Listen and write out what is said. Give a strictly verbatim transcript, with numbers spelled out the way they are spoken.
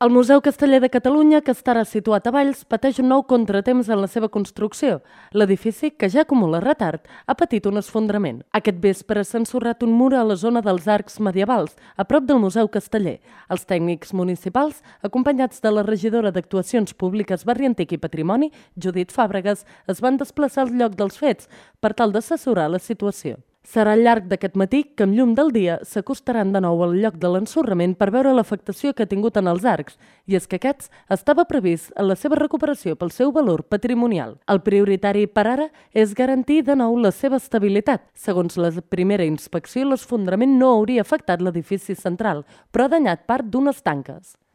El Museu Casteller de Catalunya, que estarà situat a Valls, pateix un nou contratemps en la seva construcció. L'edifici, que ja acumula retard, ha patit un esfondrament. Aquest vespre s'ha ensorrat un mur a la zona dels arcs medievals, a prop del Museu Casteller. Els tècnics municipals, acompanyats de la regidora d'Actuacions Públiques, Barri Antic i Patrimoni, Judit Fàbregas, es van desplaçar al lloc dels fets per tal d'assessorar la situació. Serà al llarg d'aquest matí que, amb llum del dia, s'acostaran de nou al lloc de l'ensorrament per veure l'afectació que ha tingut en els arcs, i és que aquests estava previst en la seva recuperació pel seu valor patrimonial. El prioritari per ara és garantir de nou la seva estabilitat. Segons la primera inspecció, l'esfondrament no hauria afectat l'edifici central, però ha danyat part d'unes tanques.